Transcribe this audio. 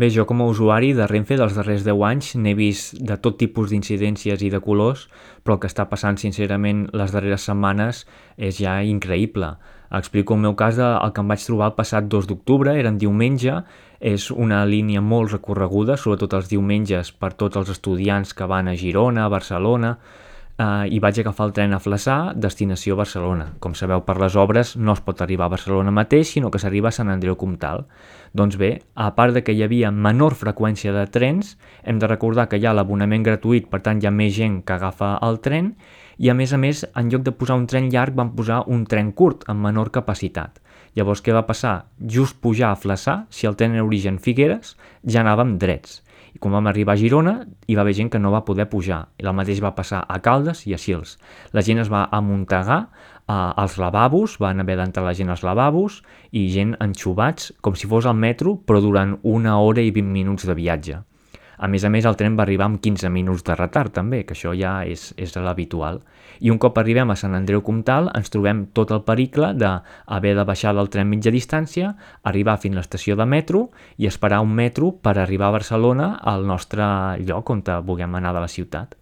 Bé, jo com a usuari de Renfe dels darrers 10 anys n'he vist de tot tipus d'incidències i de colors, però el que està passant sincerament les darreres setmanes és ja increïble. Explico el meu cas, el que em vaig trobar el passat 2 d'octubre, era en diumenge, és una línia molt recorreguda, sobretot els diumenges per tots els estudiants que van a Girona, a Barcelona, i vaig agafar el tren a Flaçà, destinació Barcelona. Com sabeu, per les obres no es pot arribar a Barcelona mateix, sinó que s'arriba a Sant Andreu Comtal. Doncs bé, a part de que hi havia menor freqüència de trens, hem de recordar que hi ha l'abonament gratuït, per tant hi ha més gent que agafa el tren, i a més, en lloc de posar un tren llarg, van posar un tren curt, amb menor capacitat. Llavors, què va passar? Just pujar a Flaçà, si el tren era origen Figueres, ja anàvem drets. I quan vam arribar a Girona, hi va haver gent que no va poder pujar. I el mateix va passar a Caldes i a Sils. La gent es va amuntegar als lavabos, van haver d'entrar la gent als lavabos i gent enxubats, com si fos al metro, però durant 1 hora i 20 minuts de viatge. A més, el tren va arribar amb 15 minuts de retard, també, que això ja és l'habitual. I un cop arribem a Sant Andreu Comtal, ens trobem tot el pericle d'haver de baixar del tren mitja distància, arribar fins a l'estació de metro i esperar un metro per arribar a Barcelona, al nostre lloc on vulguem anar de la ciutat.